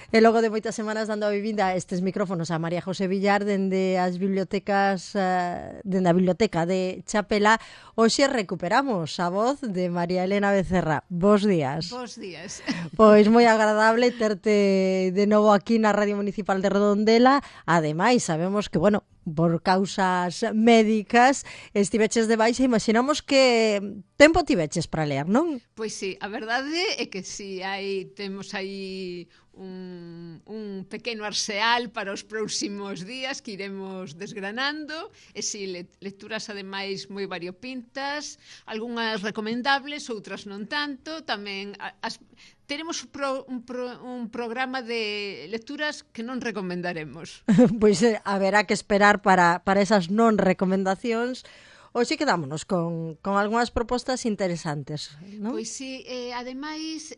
E logo de moitas semanas dando a vivinda estes micrófonos a María José Villar dende as bibliotecas, dende a biblioteca de Chapela, hoxe recuperamos a voz de María Elena Becerra. Bos días. Bos días. Pois moi agradable terte de novo aquí na Radio Municipal de Redondela. Ademais, sabemos que, bueno, por causas médicas estiveches de baixa, imaginamos que tempo tiveches para ler, non? Pois sí, a verdade é que sí, temos aí un pequeno arseal para os próximos días que iremos desgranando, e si, lecturas ademais moi variopintas, algunhas recomendables, outras non tanto, tamén teremos un programa de lecturas que non recomendaremos. Pois haberá que esperar para esas non recomendacións. Hoxe quedámonos con algunhas propostas interesantes, non? Pois sí, ademais,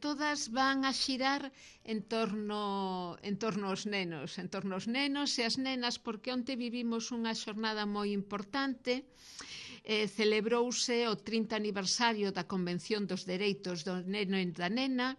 todas van a xirar en torno aos nenos, e as nenas, porque onte vivimos unha xornada moi importante. Celebrouse o 30 aniversario da Convención dos Dereitos do Neno e da Nena,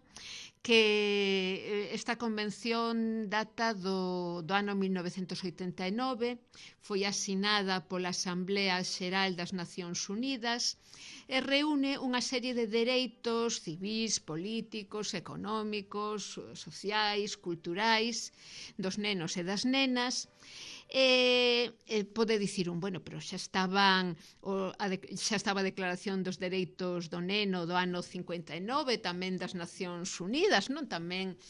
que esta convención data do ano 1989, foi asinada pola Asamblea Xeral das Nacións Unidas e reúne unha serie de dereitos civís, políticos, económicos, sociais, culturais dos nenos e das nenas. Pode dicir bueno, pero xa estaba a Declaración dos Dereitos do Neno do ano 59, tamén das Nacións Unidas, non? Tamén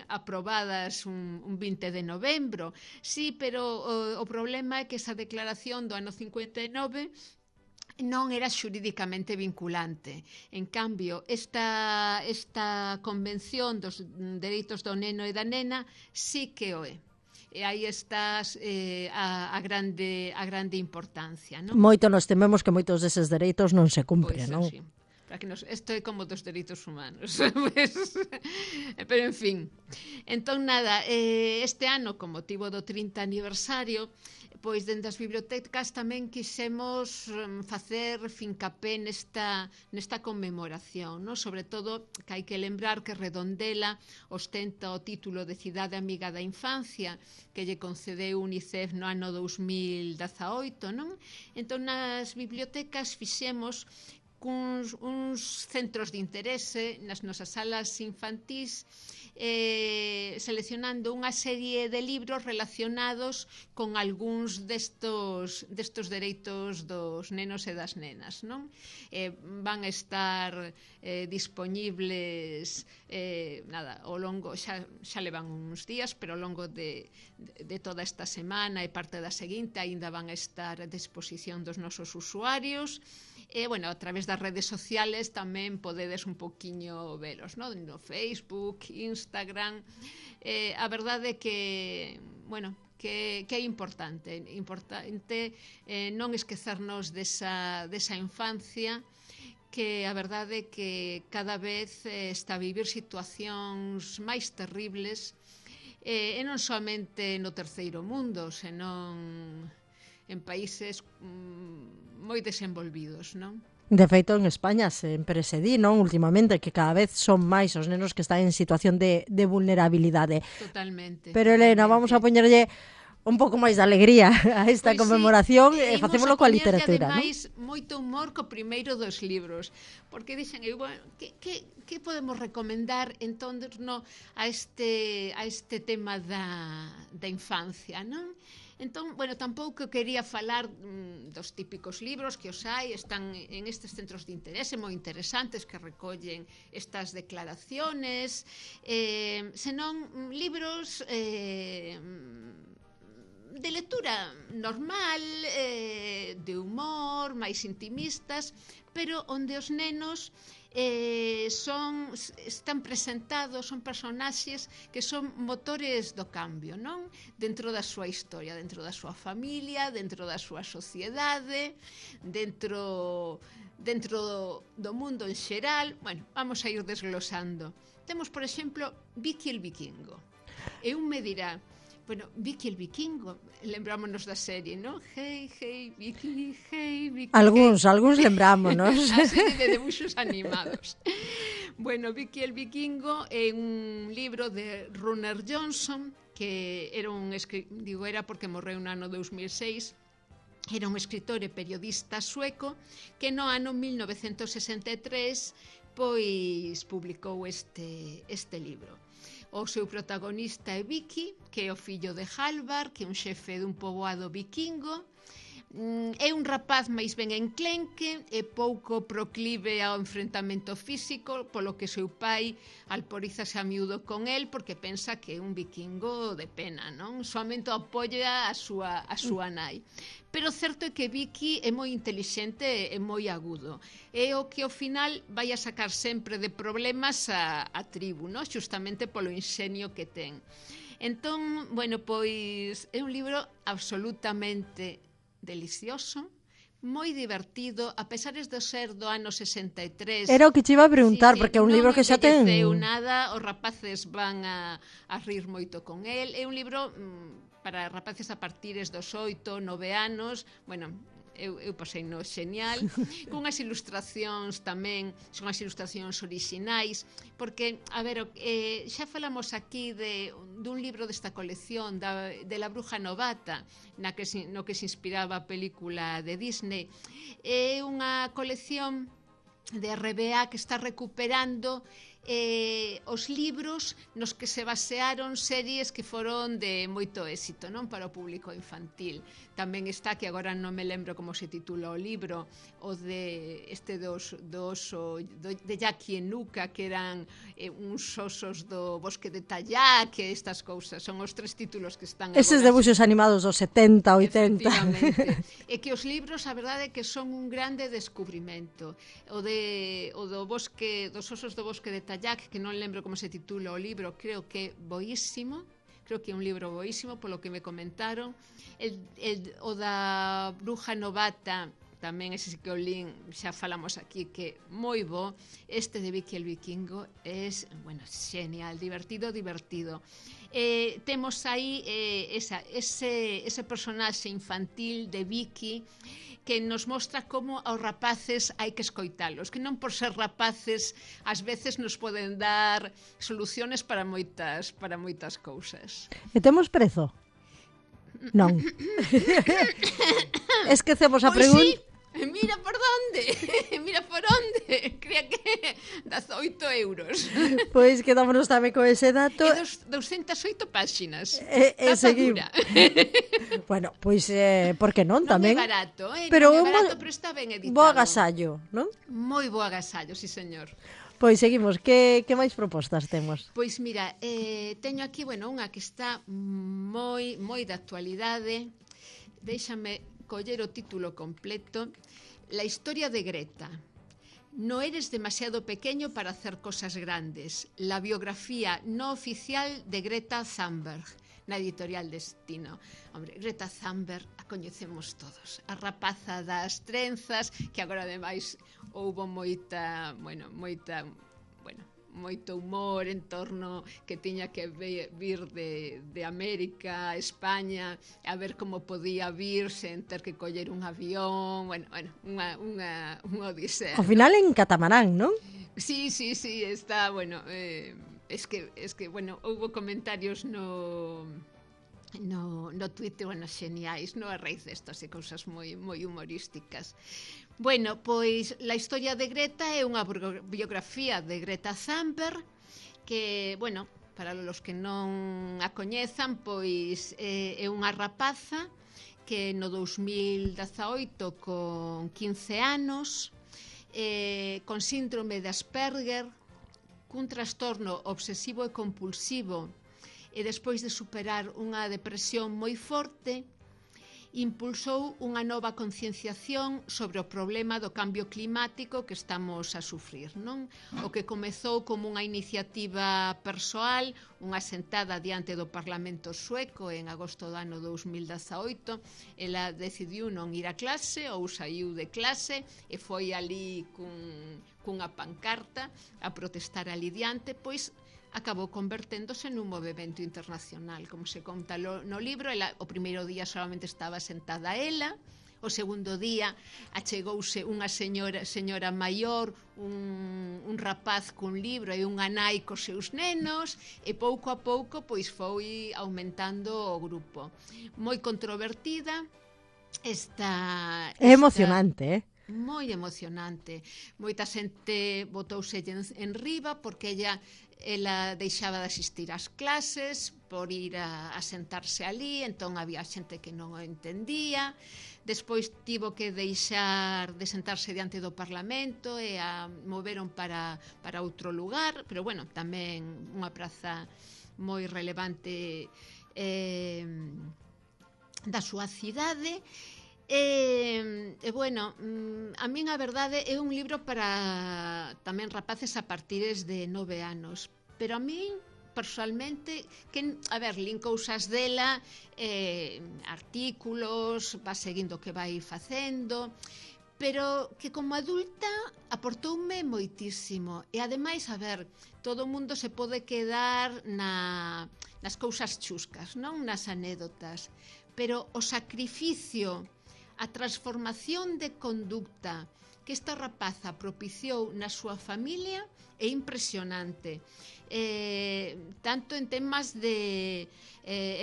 aprobadas un 20 de novembro. Sí, pero o problema é que esa declaración do ano 59 non era xurídicamente vinculante. En cambio, esta Convención dos Dereitos do Neno e da Nena sí que o é. E aí está a grande importancia, non? Moito nos tememos que moitos deses dereitos non se cumpren, non? Sí. Isto é como dos dereitos humanos. Pero, en fin. Entón, nada, este ano, con motivo do 30 aniversario, pois dende as bibliotecas tamén quixemos facer fincapé nesta conmemoración, non? Sobre todo que hai que lembrar que Redondela ostenta o título de Cidade Amiga da Infancia que lle concedeu UNICEF no ano 2018, non? Entón nas bibliotecas fixemos uns centros de interese nas nosas salas infantís, seleccionando unha serie de libros relacionados con algúns destos dereitos dos nenos e das nenas, non? Van a estar dispoñibles ao longo, xa levan uns días, pero ao longo de toda esta semana e parte da seguinte aínda van a estar a disposición dos nosos usuarios. Bueno, a través das redes sociales tamén podedes un poquiño velos, no Facebook, Instagram. A verdade é que, bueno, que é importante non esquecernos desa infancia, que a verdade é que cada vez está a vivir situacións máis terribles, e non somente no terceiro mundo, senón en países moi desenvolvidos, non? De feito, en España sempre se di, non? Últimamente, que cada vez son máis os nenos que están en situación de vulnerabilidade. Totalmente. Pero, Elena, vamos a poñerlle un pouco máis de alegría a esta conmemoración e facémolo coa literatura, non? Ademais, moito humor co primeiro dos libros, porque dixen, bueno, que podemos recomendar en torno a este tema da infancia, non? Entón, bueno, tampouco quería falar dos típicos libros que os hai, están en estes centros de interese moi interesantes que recollen estas declaraciones, senón libros de lectura normal, de humor, máis intimistas, pero onde os nenos están presentados, son personaxes que son motores do cambio, non? Dentro da súa historia, dentro da súa familia, dentro da súa sociedade, dentro do mundo en xeral. Bueno, vamos a ir desglosando. Temos, por exemplo, Vicky el Vikingo. E un me dirá, bueno, Vicky el Vikingo, lembrámonos da serie, non? Hey, Vicky, hey, Vicky. Algúns lembrámonos. A serie de debuxos animados. Bueno, Vicky el Vikingo é un libro de Runar Johnson, que era era porque morreu no ano 2006, era un escritor e periodista sueco que no ano 1963 pois publicou este libro. O seu protagonista é Vicky, que é o fillo de Halvar, que é un xefe dun poboado vikingo. É un rapaz máis ben enclenque e pouco proclive ao enfrentamento físico, polo que seu pai alporízase a miúdo con el porque pensa que é un vikingo de pena, non? Soamente apoia a súa nai. Pero certo é que Vicky é moi intelixente e moi agudo. É o que ao final vai a sacar sempre de problemas a tribu, non? Justamente polo inxenio que ten. Entón, bueno, pois é un libro absolutamente delicioso, moi divertido, a pesar de ser do ano 63. Era o que te iba a preguntar, porque é un libro que xa ten... Non envelleceu nada, os rapaces van a rir moito con el. É un libro para rapaces a partires dos 8, 9 anos, bueno... Eu pasei no xenial, cunhas ilustracións tamén, son as ilustracións orixinais, porque, a ver, xa falamos aquí dun libro desta colección, de La Bruja Novata, no que se inspiraba a película de Disney. É unha colección de RBA que está recuperando os libros nos que se basearon series que foron de moito éxito, non, para o público infantil. Tamén está, que agora non me lembro como se titula o libro, o de de Jackie e Nuka, que eran uns osos do bosque de Tallá, que estas cousas son os 3 títulos que están agora. Eses debuxos animados dos 70, 80. Efectivamente. E que os libros, a verdade é que son un grande descubrimento. O dos osos do bosque de Tallac, que non lembro como se titula o libro, creo que é boísimo, creo que é un libro boísimo, polo que me comentaron. O da Bruja Novata, tamén ese que o lín, xa falamos aquí, que moi bo. Este de Vicky el Vikingo é, bueno, genial, divertido. Temos aí ese personaxe infantil de Vicky, que nos mostra como aos rapaces hai que escoitalos, que non por ser rapaces ás veces nos poden dar soluciones para moitas cousas. E temos prezo? Non. Esquecemos a pregunta. Sí. Mira por onde, crea que 18 euros. Pois quedámonos tamén con ese dato. E 208 páxinas. Seguimos. Bueno, pois, por que non tamén? Non é barato, pero non é barato, pero está ben editado. Bo agasallo, non? Moi bo agasallo, sí señor. Pois seguimos, que máis propostas temos? Pois mira, teño aquí, bueno, unha que está moi de actualidade. Déixame coller o título completo. La historia de Greta. No eres demasiado pequeño para hacer cosas grandes. La biografía no oficial de Greta Thunberg, na editorial Destino. Hombre, Greta Thunberg a coñecemos todos. A rapaza das trenzas, que agora ademais houbo moito humor en torno que tiña que vir de América a España, a ver como podía vir sen ter que coller un avión, unha odisea. Ao final en catamarán, non? Sí, está, bueno, es que, bueno, houbo comentarios no Twitter, bueno, xeniais, no a raíz destas e cousas moi humorísticas. Bueno, pois la historia de Greta é unha biografía de Greta Thunberg que, bueno, para os que non a coñezan, pois é unha rapaza que no 2018 con 15 anos con síndrome de Asperger, cun trastorno obsesivo e compulsivo, e despois de superar unha depresión moi forte, impulsou unha nova concienciación sobre o problema do cambio climático que estamos a sufrir, non? O que comezou como unha iniciativa persoal, unha sentada diante do Parlamento sueco en agosto do ano 2018, ela decidiu non ir a clase ou saiu de clase e foi ali cunha pancarta a protestar ali diante, pois acabou converténdose nun movimento internacional. Como se conta no libro, o primeiro día solamente estaba sentada ela, O segundo día achegouse unha señora maior, un rapaz cun libro e unha nai cos seus nenos, e pouco a pouco pois foi aumentando o grupo. Moi controvertida, É emocionante, moi emocionante. Moita xente botouse en riba porque ela deixaba de asistir ás clases por ir a sentarse ali, entón había xente que non o entendía. Despois tivo que deixar de sentarse diante do Parlamento e a moveron para outro lugar, pero bueno, tamén unha praza moi relevante da súa cidade. Bueno, a min a verdade é un libro para tamén rapaces a partires de 9 anos, pero a min personalmente, lín cousas dela, artículos, va seguindo o que vai facendo, pero que como adulta aportoume moitísimo. E ademais, todo o mundo se pode quedar nas cousas chuscas, non nas anécdotas, pero o sacrificio, a transformación de conducta que esta rapaza propiciou na súa familia é impresionante. Tanto en temas de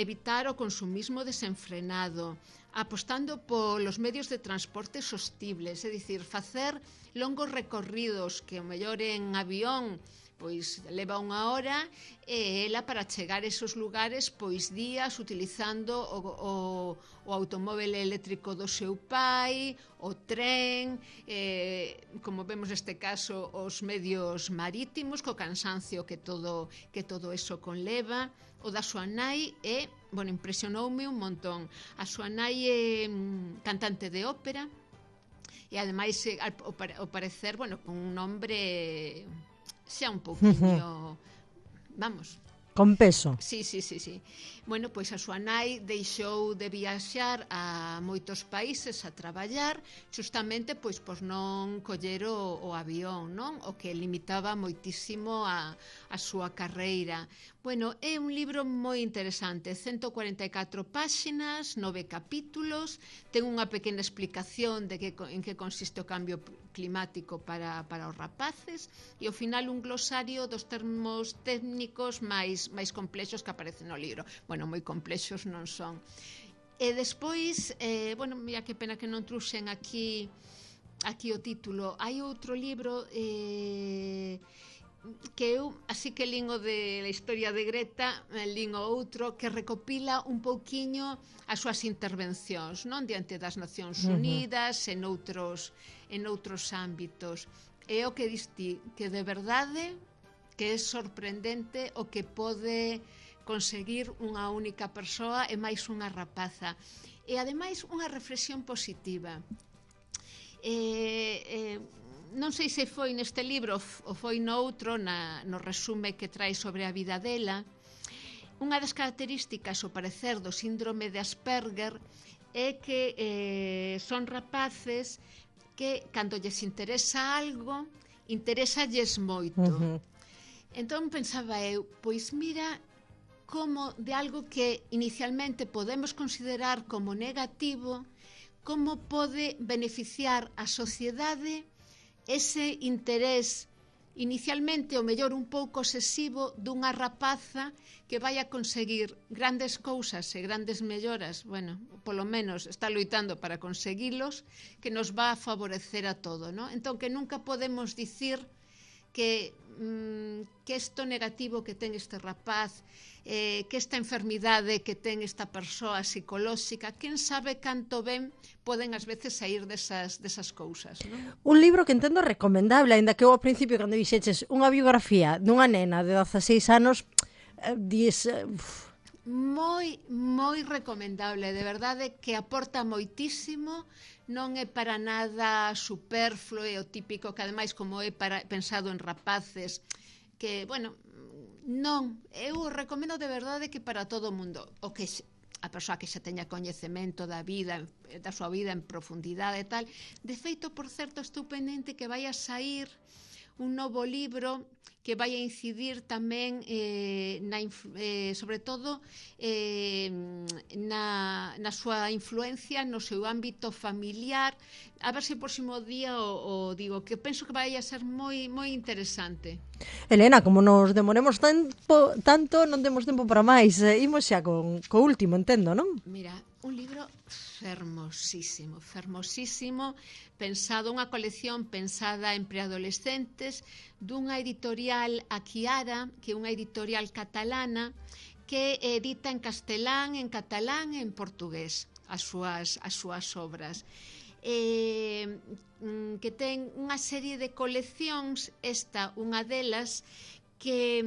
evitar o consumismo desenfrenado, apostando polos medios de transporte sostibles, é dicir, facer longos recorridos que o mellor en avión pois leva unha hora, e ela para chegar a esos lugares pois días utilizando o automóvel eléctrico do seu pai, o tren, como vemos neste caso os medios marítimos, co cansancio que todo eso conleva. O da súa nai impresionoume un montón. A súa nai é cantante de ópera e ademais ao parecer, con un nombre xa un pouquinho, con peso. Sí. Bueno, pois a súa nai deixou de viaxar a moitos países a traballar, justamente pois por non coller o avión, non? O que limitaba moitísimo a súa carreira. Bueno, é un libro moi interesante, 144 páxinas, 9 capítulos, ten unha pequena explicación de en que consiste o cambio climático para os rapaces, e ao final un glosario dos termos técnicos máis complexos que aparecen no libro. Bueno, moi complexos non son. E despois, mira que pena que non truxen aquí o título. Hai outro libro que eu, así que lín o de la historia de Greta, lín o outro que recopila un pouquiño as súas intervencións, non, diante das Nacións Unidas, en outros ámbitos. É o que diste, que de verdade que é sorprendente o que pode conseguir unha única persoa e máis unha rapaza. E ademais unha reflexión positiva. Non sei se foi neste libro ou foi no outro, no resume que trae sobre a vida dela. Unha das características, ao parecer, do síndrome de Asperger é que son rapaces que, cando lles interesa algo, interesalles moito. Entón pensaba eu, pois mira como de algo que inicialmente podemos considerar como negativo, como pode beneficiar a sociedade ese interés inicialmente o mellor un pouco obsesivo dunha rapaza que vai a conseguir grandes cousas e grandes melloras, polo menos está loitando para conseguilos, que nos va a favorecer a todo, non? Entón que nunca podemos dicir que isto negativo que ten este rapaz, que esta enfermidade que ten esta persoa psicolóxica, quen sabe canto ben poden ás veces sair desas cousas, non? Un libro que entendo recomendable, aínda que eu ao principio, cando dixeches unha biografía dunha nena de 16 anos, dis... Moi recomendable, de verdade que aporta moitísimo, non é para nada superfluo, e o típico que ademais como é pensado en rapaces, que, non, eu recomendo de verdade que para todo o mundo, o que a persoa que xa teña coñecemento da súa vida en profundidade e tal. De feito, por certo, estou pendente que vai a sair un novo libro que vai a incidir tamén sobre todo na súa influencia no seu ámbito familiar. A ver se o próximo día o digo, que penso que vai a ser moi interesante. Elena, como nos demoremos tanto, non temos tempo para máis. Imos xa co último, entendo, non? Mira, un libro fermosísimo, pensado, unha colección pensada en preadolescentes dunha editorial Aquiara, que é unha editorial catalana que edita en castelán, en catalán e en portugués as súas obras. Que ten unha serie de coleccións, esta unha delas, que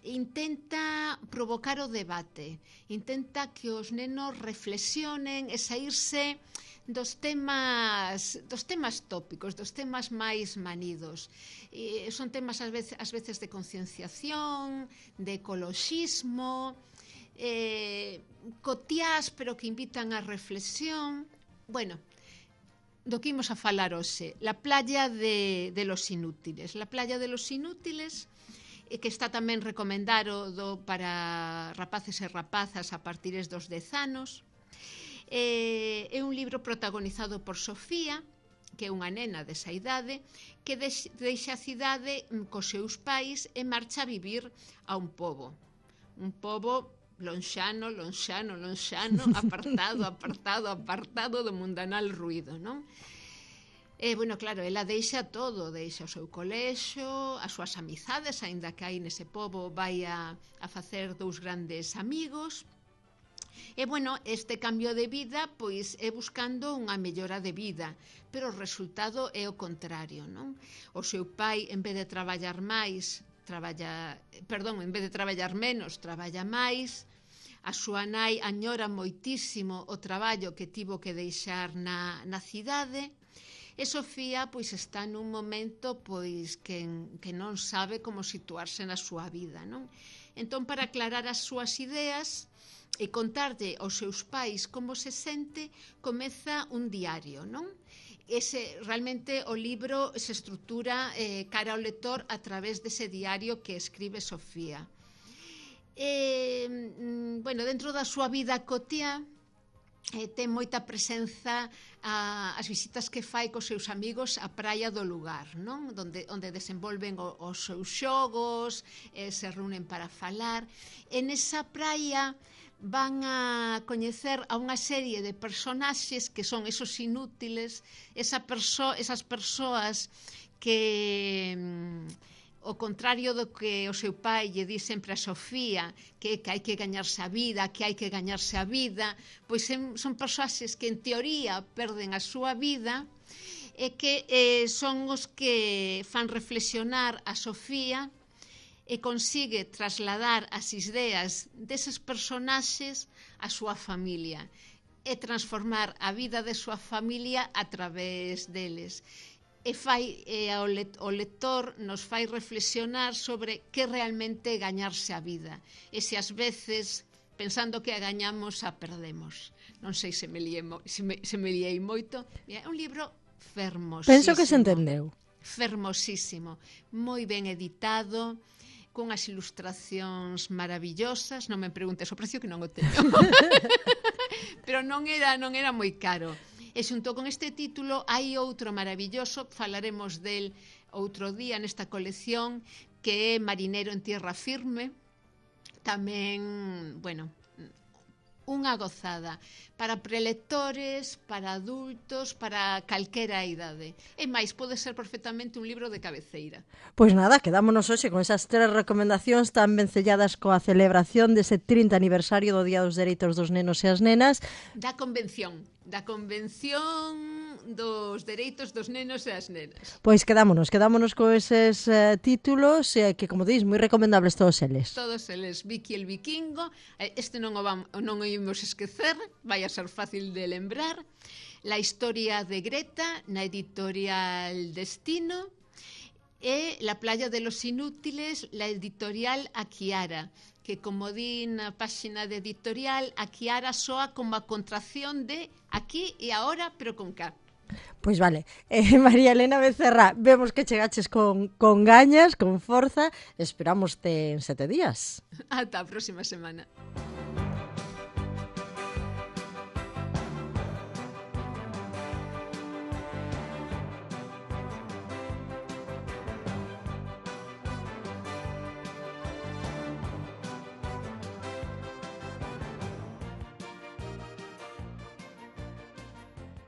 intenta provocar o debate, intenta que os nenos reflexionen e saírse dos temas tópicos, dos temas máis manidos. Son temas ás veces de concienciación, de ecoloxismo, cotiás, pero que invitan á reflexión. Bueno, do que imos a falar hoxe, la playa de los inútiles. La playa de los inútiles, que está tamén recomendado para rapaces e rapazas a partir dos 10 anos. É un libro protagonizado por Sofía, que é unha nena desa idade, que deixa a cidade cos seus pais e marcha a vivir a un pobo lonxano, apartado do mundanal ruído, non? Bueno, claro, ela deixa todo, deixa o seu colexo, as súas amizades, aínda que aí nese pobo vai a facer 2 grandes amigos. E, bueno, este cambio de vida, pois, é buscando unha mellora de vida, pero o resultado é o contrario, non? O seu pai, en vez de traballar menos, traballa máis. A súa nai añora moitísimo o traballo que tivo que deixar na cidade. E Sofía, pois, está nun momento, pois, que non sabe como situarse na súa vida, non? Entón, para aclarar as súas ideas e contarlle aos seus pais como se sente, comeza un diario, non? Realmente o libro se estrutura cara ao lector a través dese diario que escribe Sofía. Bueno, dentro da súa vida cotiá, ten moita presenza as visitas que fai cos seus amigos á praia do lugar, non? Onde desenvolven os seus xogos, se reúnen para falar. En esa praia van a coñecer a unha serie de personaxes que son esos inútiles, esas persoas que, ao contrario do que o seu pai lle di sempre a Sofía, que hai que gañarse a vida, pois son persoaxes que en teoría perden a súa vida e que son os que fan reflexionar a Sofía e consigue trasladar as ideas deses personaxes á súa familia e transformar a vida de súa familia a través deles. O lector nos fai reflexionar sobre que realmente gañarse a vida e se ás veces, pensando que a gañamos, a perdemos. Non sei se me liei moito. É un libro fermosísimo. Penso que se entendeu. Fermosísimo, moi ben editado, con as ilustracións maravillosas. Non me preguntes o precio, que non o teño. Pero non era moi caro. E xunto con este título hai outro maravilloso, falaremos del outro día nesta colección, que é Marinero en tierra firme. Tamén, bueno, unha gozada para prelectores, para adultos, para calquera idade. E máis, pode ser perfectamente un libro de cabeceira. Pois nada, quedámonos hoxe con esas 3 recomendacións tan vencelladas coa celebración dese 30 aniversario do Día dos Dereitos dos Nenos e as Nenas. Da Convención dos Dereitos dos Nenos e as Nenas. Pois quedámonos con eses títulos que, como dís, moi recomendables todos eles. Todos eles, Vicky el Vikingo, este non o imos esquecer, vai a ser fácil de lembrar. La historia de Greta, na editorial Destino, e La playa de los inútiles, la editorial Aquiara, que, como di na páxina de editorial, Aquiara soa como a contracción de aquí e ahora, pero con K. Pois vale, María Elena Becerra, vemos que chegaches con gañas, con forza, esperámoste en 7 días. Ata a próxima semana.